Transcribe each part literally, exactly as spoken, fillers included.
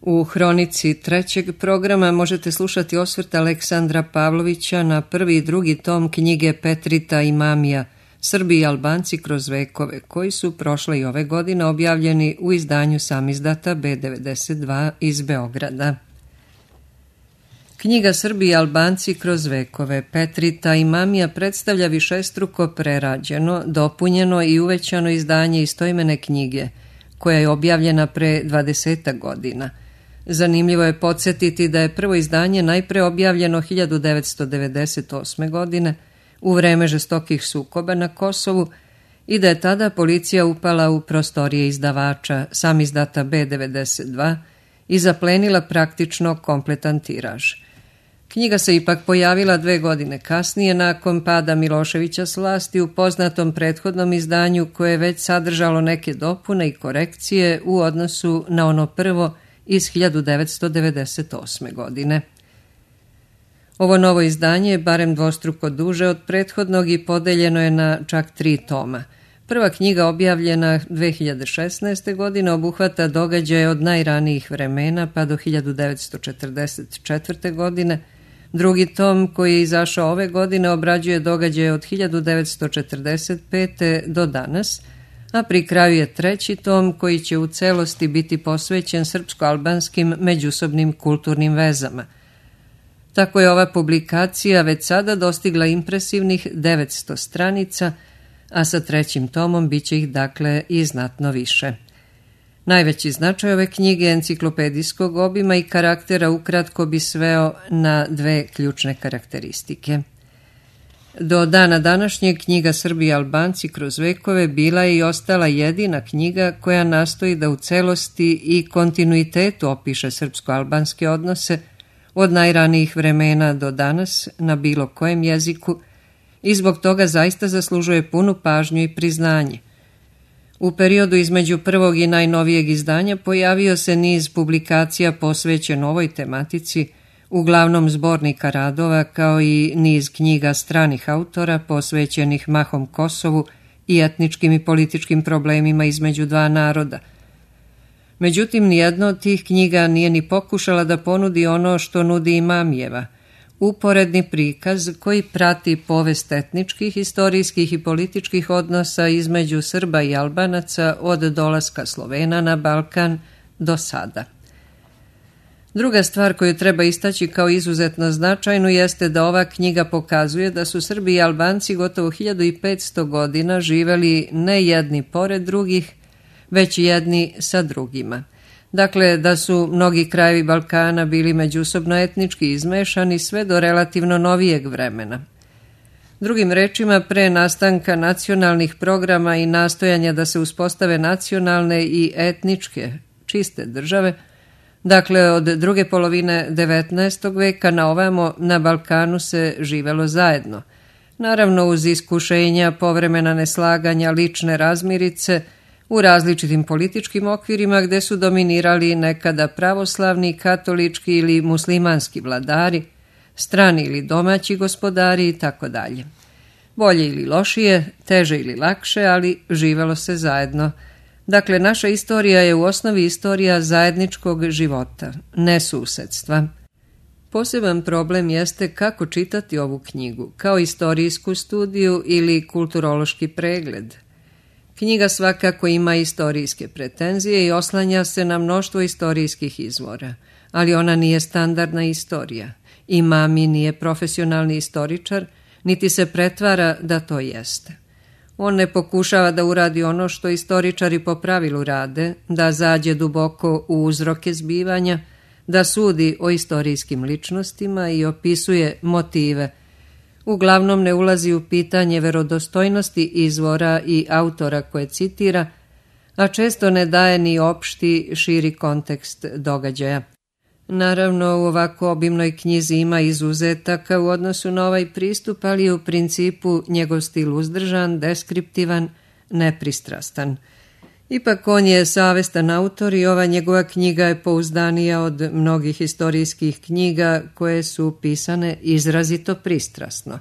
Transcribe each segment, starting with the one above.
U hronici trećeg programa možete slušati osvrt Aleksandra Pavlovića na prvi i drugi tom knjige Petrita i Mamija, Srbi i Albanci kroz vekove, koji su prošle i ove godine objavljeni u izdanju samizdata be devedeset dva iz Beograda. Knjiga Srbi i Albanci kroz vekove Petrita i Mamija predstavlja višestruko prerađeno, dopunjeno i uvećano izdanje istoimene knjige, koja je objavljena pre dvadesetak godina. Zanimljivo je podsjetiti da je prvo izdanje najpre objavljeno hiljadu devetsto devedeset osme. godine u vreme žestokih sukoba na Kosovu i da je tada policija upala u prostorije izdavača samizdata be devedeset dva i zaplenila praktično kompletan tiraž. Knjiga se ipak pojavila dve godine kasnije nakon pada Miloševića s vlasti u poznatom prethodnom izdanju koje je već sadržalo neke dopune i korekcije u odnosu na ono prvo iz hiljadu devetsto devedeset osme. godine. Ovo novo izdanje je barem dvostruko duže od prethodnog i podeljeno je na čak tri toma. Prva knjiga objavljena dve hiljade šesnaeste. godine obuhvata događaje od najranijih vremena pa do hiljadu devetsto četrdeset četvrte. godine. Drugi tom, koji je izašao ove godine, obrađuje događaje od hiljadu devetsto četrdeset pete. do danas, a pri kraju je treći tom koji će u celosti biti posvećen srpsko-albanskim međusobnim kulturnim vezama. Tako je ova publikacija već sada dostigla impresivnih devetsto stranica, a sa trećim tomom bit će ih dakle i znatno više. Najveći značaj ove knjige enciklopedijskog obima i karaktera ukratko bi sveo na dve ključne karakteristike. Do dana današnjeg knjiga Srbi i Albanci kroz vekove bila je i ostala jedina knjiga koja nastoji da u celosti i kontinuitetu opiše srpsko-albanske odnose od najranijih vremena do danas na bilo kojem jeziku i zbog toga zaista zaslužuje punu pažnju i priznanje. U periodu između prvog i najnovijeg izdanja pojavio se niz publikacija posvećen ovoj tematici, uglavnom zbornika radova, kao i niz knjiga stranih autora posvećenih mahom Kosovu i etničkim i političkim problemima između dva naroda. Međutim, nijedno od tih knjiga nije ni pokušala da ponudi ono što nudi i Mamijeva, uporedni prikaz koji prati povest etničkih, istorijskih i političkih odnosa između Srba i Albanaca od dolaska Slovena na Balkan do sada. Druga stvar koju treba istaći kao izuzetno značajnu jeste da ova knjiga pokazuje da su Srbi i Albanci gotovo hiljadu petsto godina živeli ne jedni pored drugih, već jedni sa drugima. Dakle, da su mnogi krajevi Balkana bili međusobno etnički izmešani sve do relativno novijeg vremena. Drugim rečima, pre nastanka nacionalnih programa i nastojanja da se uspostave nacionalne i etničke čiste države, dakle od druge polovine devetnaestog. veka na ovamo na Balkanu se živelo zajedno. Naravno uz iskušenja, povremena neslaganja, lične razmirice, u različitim političkim okvirima gde su dominirali nekada pravoslavni, katolički ili muslimanski vladari, strani ili domaći gospodari i tako dalje. Bolje ili lošije, teže ili lakše, ali živelo se zajedno. Dakle, naša istorija je u osnovi istorija zajedničkog života, ne susedstva. Poseban problem jeste kako čitati ovu knjigu, kao istorijsku studiju ili kulturološki pregled. Knjiga svakako ima istorijske pretenzije i oslanja se na mnoštvo istorijskih izvora, ali ona nije standardna istorija. I Mami nije profesionalni istoričar, niti se pretvara da to jeste. On ne pokušava da uradi ono što istoričari po pravilu rade, da zađe duboko u uzroke zbivanja, da sudi o istorijskim ličnostima i opisuje motive. Uglavnom ne ulazi u pitanje verodostojnosti izvora i autora koje citira, a često ne daje ni opšti, širi kontekst događaja. Naravno, u ovako obimnoj knjizi ima izuzetaka u odnosu na ovaj pristup, ali je u principu njegov stil uzdržan, deskriptivan, nepristrastan. Ipak on je savestan autor i ova njegova knjiga je pouzdanija od mnogih istorijskih knjiga koje su pisane izrazito pristrasno.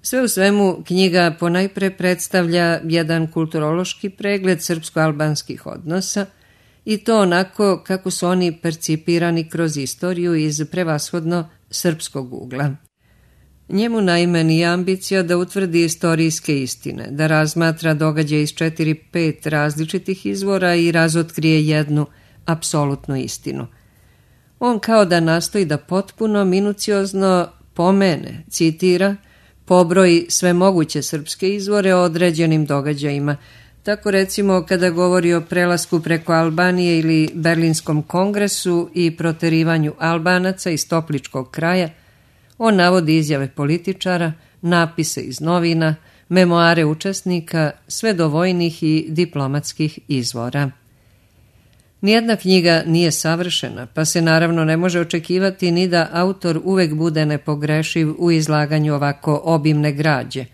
Sve u svemu, knjiga ponajpre predstavlja jedan kulturološki pregled srpsko-albanskih odnosa i to onako kako su oni percipirani kroz istoriju iz prevashodno srpskog ugla. Njemu naime nije ambicija da utvrdi istorijske istine, da razmatra događaje iz četiri, pet različitih izvora i razotkrije jednu apsolutnu istinu. On kao da nastoji da potpuno, minuciozno pomene, citira, pobroji sve moguće srpske izvore o određenim događajima. Tako recimo kada govori o prelasku preko Albanije ili Berlinskom kongresu i proterivanju Albanaca iz Topličkog kraja, on navodi izjave političara, napise iz novina, memoare učesnika, sve do vojnih i diplomatskih izvora. Nijedna knjiga nije savršena, pa se naravno ne može očekivati ni da autor uvek bude nepogrešiv u izlaganju ovako obimne građe.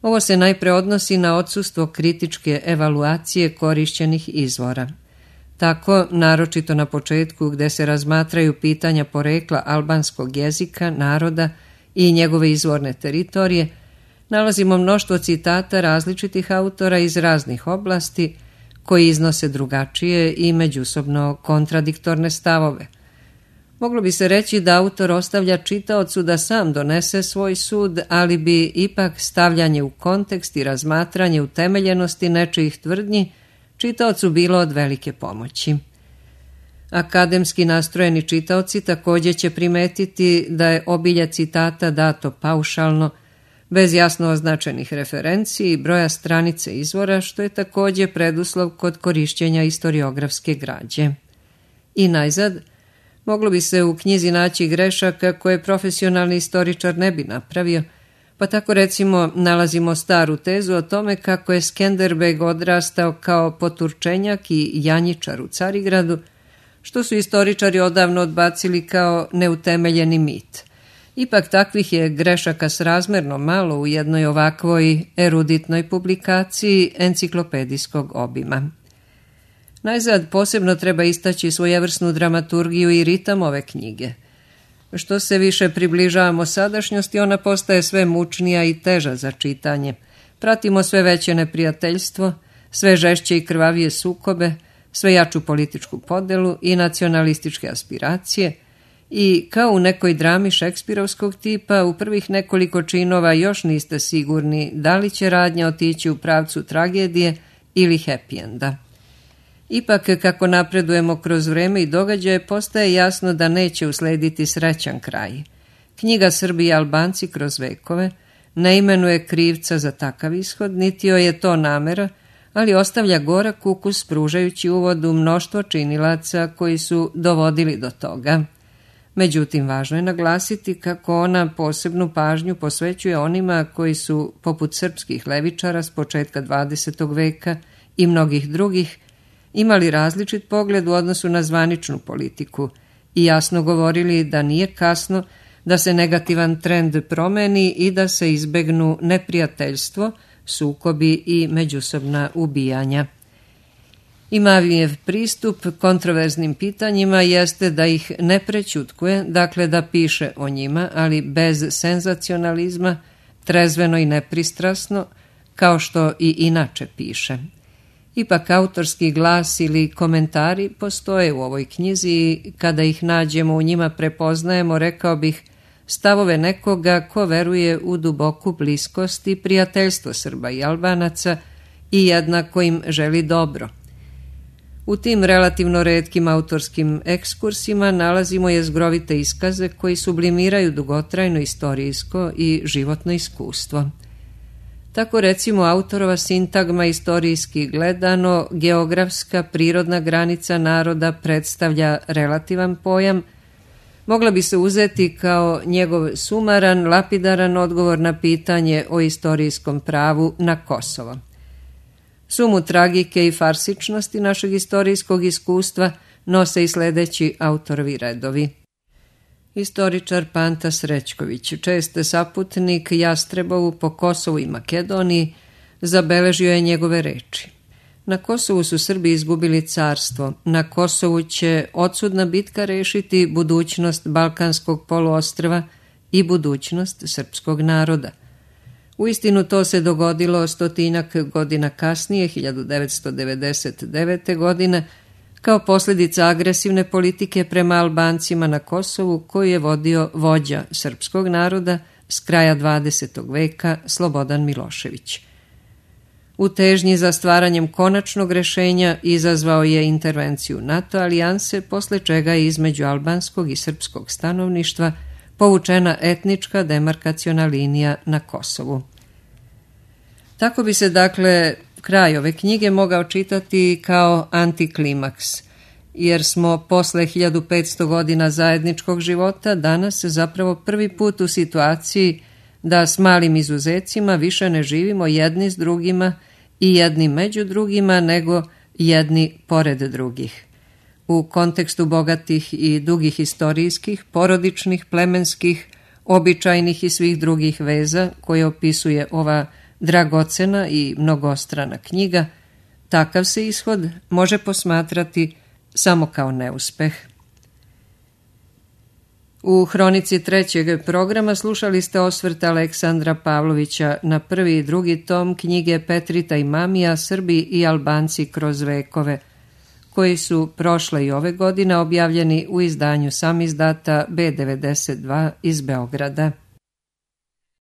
Ovo se najpre odnosi na odsustvo kritičke evaluacije korišćenih izvora. Tako, naročito na početku gde se razmatraju pitanja porekla albanskog jezika, naroda i njegove izvorne teritorije, nalazimo mnoštvo citata različitih autora iz raznih oblasti koji iznose drugačije i međusobno kontradiktorne stavove. Moglo bi se reći da autor ostavlja čitaocu da sam donese svoj sud, ali bi ipak stavljanje u kontekst i razmatranje utemeljenosti nečijih tvrdnji čitaocu bilo od velike pomoći. Akademski nastrojeni čitaoci također će primetiti da je obilje citata dato paušalno, bez jasno označenih referenci i broja stranice izvora, što je također preduslov kod korišćenja historiografske građe. I najzad, moglo bi se u knjizi naći grešaka koje profesionalni istoričar ne bi napravio, pa tako recimo nalazimo staru tezu o tome kako je Skenderbeg odrastao kao poturčenjak i janjičar u Carigradu, što su istoričari odavno odbacili kao neutemeljeni mit. Ipak takvih je grešaka srazmerno malo u jednoj ovakvoj eruditnoj publikaciji enciklopedijskog obima. Najzad posebno treba istaći svojevrsnu dramaturgiju i ritam ove knjige. Što se više približavamo sadašnjosti, ona postaje sve mučnija i teža za čitanje. Pratimo sve veće neprijateljstvo, sve žešće i krvavije sukobe, sve jaču političku podelu i nacionalističke aspiracije i kao u nekoj drami šekspirovskog tipa u prvih nekoliko činova još niste sigurni da li će radnja otići u pravcu tragedije ili happy enda. Ipak, kako napredujemo kroz vreme i događaje, postaje jasno da neće uslediti srećan kraj. Knjiga Srbi i Albanci kroz vekove ne imenuje krivca za takav ishod, niti joj je to namera, ali ostavlja gorak ukus pružajući uvod u mnoštvo činilaca koji su dovodili do toga. Međutim, važno je naglasiti kako ona posebnu pažnju posvećuje onima koji su, poput srpskih levičara s početka dvadesetog veka i mnogih drugih, imali različit pogled u odnosu na zvaničnu politiku i jasno govorili da nije kasno da se negativan trend promeni i da se izbegnu neprijateljstvo, sukobi i međusobna ubijanja. Imavijev pristup kontroverznim pitanjima jeste da ih ne prećutkuje, dakle da piše o njima, ali bez senzacionalizma, trezveno i nepristrasno, kao što i inače piše. Ipak autorski glas ili komentari postoje u ovoj knjizi i kada ih nađemo u njima prepoznajemo, rekao bih, stavove nekoga ko veruje u duboku bliskost i prijateljstvo Srba i Albanaca i jednako im želi dobro. U tim relativno retkim autorskim ekskursima nalazimo jezgrovite iskaze koji sublimiraju dugotrajno istorijsko i životno iskustvo. Tako recimo autorova sintagma istorijski gledano, geografska prirodna granica naroda predstavlja relativan pojam, mogla bi se uzeti kao njegov sumaran, lapidaran odgovor na pitanje o istorijskom pravu na Kosovo. Sumu tragike i farsičnosti našeg istorijskog iskustva nose i sledeći autorovi redovi. Istoričar Panta Srećković, čest saputnik Jastrebovu po Kosovu i Makedoniji, zabeležio je njegove reči. Na Kosovu su Srbi izgubili carstvo, na Kosovu će odsudna bitka rešiti budućnost Balkanskog poluostrva i budućnost srpskog naroda. Uistinu to se dogodilo stotinak godina kasnije, hiljadu devetsto devedeset devete. godine, kao posljedica agresivne politike prema Albancima na Kosovu koju je vodio vođa srpskog naroda s kraja dvadesetog veka Slobodan Milošević. U težnji za stvaranjem konačnog rešenja izazvao je intervenciju NATO alijanse, posle čega je između albanskog i srpskog stanovništva povučena etnička demarkaciona linija na Kosovu. Tako bi se, dakle, kraj ove knjige mogao čitati kao antiklimaks, jer smo posle hiljadu petsto godina zajedničkog života danas zapravo prvi put u situaciji da s malim izuzecima više ne živimo jedni s drugima i jedni među drugima, nego jedni pored drugih. U kontekstu bogatih i dugih istorijskih, porodičnih, plemenskih, običajnih i svih drugih veza koje opisuje ova dragocena i mnogostrana knjiga, takav se ishod može posmatrati samo kao neuspeh. U hronici trećeg programa slušali ste osvrt Aleksandra Pavlovića na prvi i drugi tom knjige Petrita i Mamija, Srbi i Albanci kroz vekove, koji su prošle i ove godine objavljeni u izdanju samizdata B devedeset dva iz Beograda.